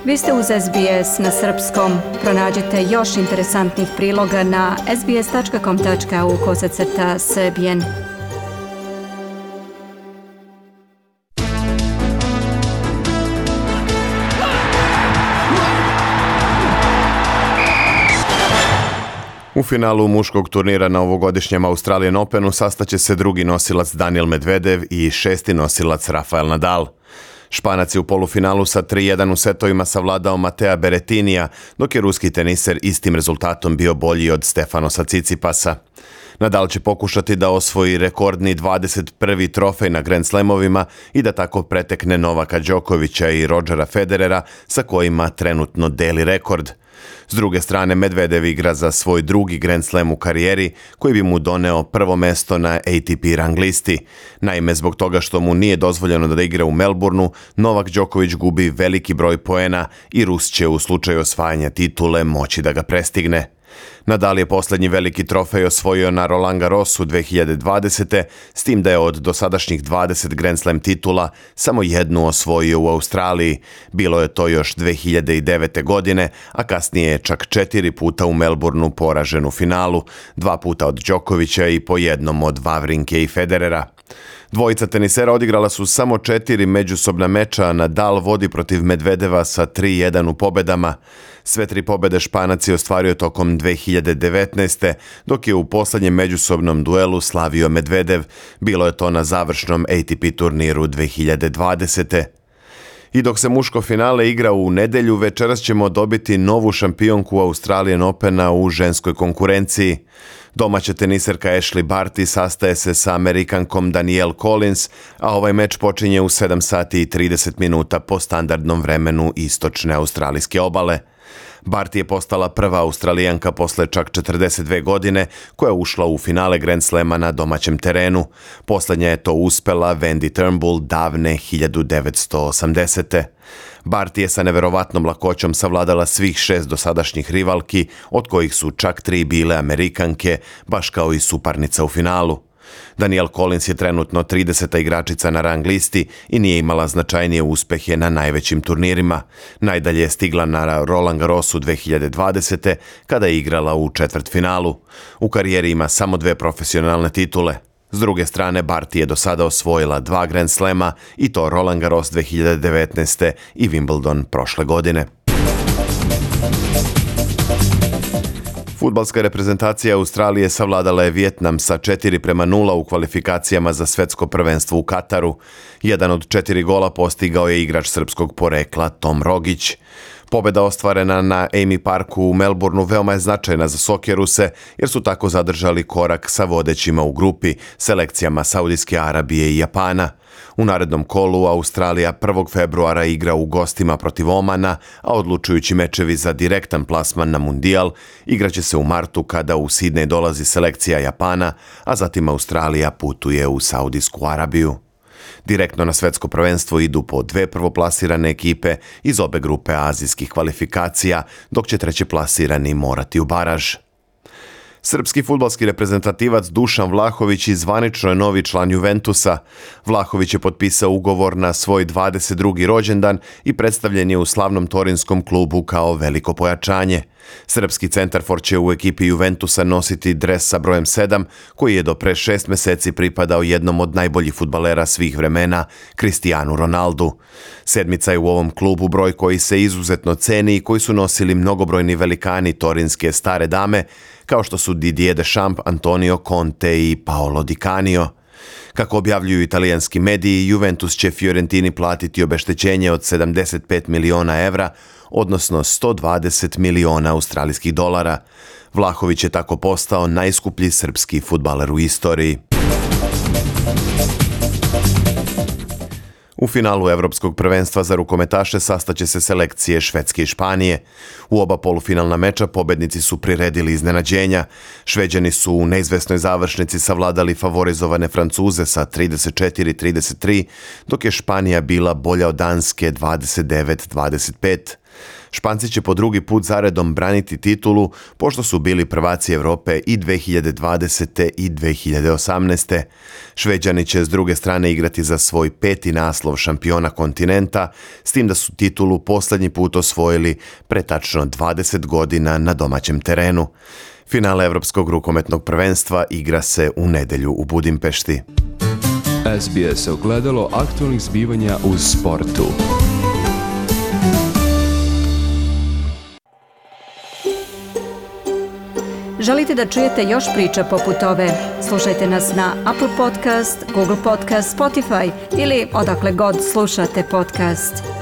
Vi ste uz SBS na srpskom. Pronađite još interesantnih priloga na sbs.com.au/srbijen. U finalu muškog turnira na ovogodišnjem Australian Openu sastaće se drugi nosilac Daniil Medvedev i šesti nosilac Rafael Nadal. Španac je u polufinalu sa 3:1 u setovima savladao Matea Berrettinija, dok je ruski teniser istim rezultatom bio bolji od Stefanosa Tsitsipasa. Nadal će pokušati da osvoji rekordni 21. trofej na Grand Slamovima i da tako pretekne Novaka Đokovića i Rodgera Federera, sa kojima trenutno deli rekord. S druge strane, Medvedev igra za svoj drugi Grand Slam u karijeri, koji bi mu doneo prvo mesto na ATP rang listi. Naime, zbog toga što mu nije dozvoljeno da igra u Melbourneu, Novak Đoković gubi veliki broj poena i Rus će u slučaju osvajanja titule moći da ga prestigne. Nadal je posljednji veliki trofej osvojio na Roland Garrosu 2020. s tim da je od dosadašnjih 20 Grand Slam titula samo jednu osvojio u Australiji. Bilo je to još 2009. godine, a kasnije je čak 4 puta u Melbourneu poražen u finalu, 2 puta od Đokovića i po jednom od Wawrinke i Federera. Dvojica tenisera odigrala su samo 4 međusobna meča, a Nadal vodi protiv Medvedeva sa 3:1 u pobedama. Sve 3 pobede Španac je ostvario tokom 2019. dok je u posljednjem međusobnom duelu slavio Medvedev. Bilo je to na završnom ATP turniru 2020. I dok se muško finale igra u nedjelju, večeras ćemo dobiti novu šampionku Australian Opena u ženskoj konkurenciji. Domaća teniserka Ashleigh Barty sastaje se sa Amerikankom Danielle Collins, a ovaj meč počinje u 7 sati i 30 minuta po standardnom vremenu istočne australijske obale. Barty je postala prva Australijanka posle čak 42 godine koja je ušla u finale Grand Slama na domaćem terenu. Posljednja je to uspela Wendy Turnbull davne 1980. Barty je sa neverovatnom lakoćom savladala svih 6 dosadašnjih rivalki, od kojih su čak 3 bile Amerikanke, baš kao i suparnica u finalu. Danielle Collins je trenutno 30. igračica na rang listi i nije imala značajnije uspehe na najvećim turnirima. Najdalje je stigla na Roland Garrosu 2020. kada je igrala u četvrtfinalu. U karijeri ima samo 2 profesionalne titule. S druge strane, Barty je do sada osvojila 2 Grand Slama, i to Roland Garros 2019. i Wimbledon prošle godine. Fudbalska reprezentacija Australije savladala je Vijetnam sa 4:0 u kvalifikacijama za svetsko prvenstvo u Kataru. Jedan od 4 gola postigao je igrač srpskog porekla Tom Rogić. Pobjeda ostvarena na Amy Parku u Melbourneu veoma je značajna za Socceruse, jer su tako zadržali korak sa vodećima u grupi, selekcijama Saudijske Arabije i Japana. U narednom kolu Australija 1. februara igra u gostima protiv Omana, a odlučujući mečevi za direktan plasman na Mundijal igraće se u martu kada u Sidney dolazi selekcija Japana, a zatim Australija putuje u Saudijsku Arabiju. Direktno na svetsko prvenstvo idu po 2 prvoplasirane ekipe iz obe grupe azijskih kvalifikacija, dok će trećeplasirani morati u baraž. Srpski fudbalski reprezentativac Dušan Vlahović zvanično je novi član Juventusa. Vlahović je potpisao ugovor na svoj 22. rođendan i predstavljen je u slavnom torinskom klubu kao veliko pojačanje. Srpski centarfor će u ekipi Juventusa nositi dres sa brojem 7, koji je do pre 6 meseci pripadao jednom od najboljih fudbalera svih vremena, Cristianu Ronaldu. Sedmica je u ovom klubu broj koji se izuzetno ceni i koji su nosili mnogobrojni velikani torinske stare dame, kao što su Didier Deschamps, Antonio Conte i Paolo Di Canio. Kako objavljuju italijanski mediji, Juventus će Fiorentini platiti obeštećenje od 75 miliona evra, odnosno 120 miliona australijskih dolara. Vlahović je tako postao najskuplji srpski fudbaler u istoriji. U finalu Evropskog prvenstva za rukometaše sastaće se selekcije Švedske i Španije. U oba polufinalna meča pobednici su priredili iznenađenja. Šveđani su u neizvesnoj završnici savladali favorizovane Francuze sa 34-33, dok je Španija bila bolja od Danske 29-25. Španci će po drugi put zaredom braniti titulu, pošto su bili prvaci Europe i 2020. i 2018. Šveđani će s druge strane igrati za svoj 5. naslov šampiona kontinenta, s tim da su titulu posljednji put osvojili pre tačno 20 godina na domaćem terenu. Finale Evropskog rukometnog prvenstva igra se u nedjelju u Budimpešti. SBS ogledalo aktualnih zbivanja u sportu. Želite da čujete još priča poput ove? Slušajte nas na Apple Podcast, Google Podcast, Spotify ili odakle god slušate podcast.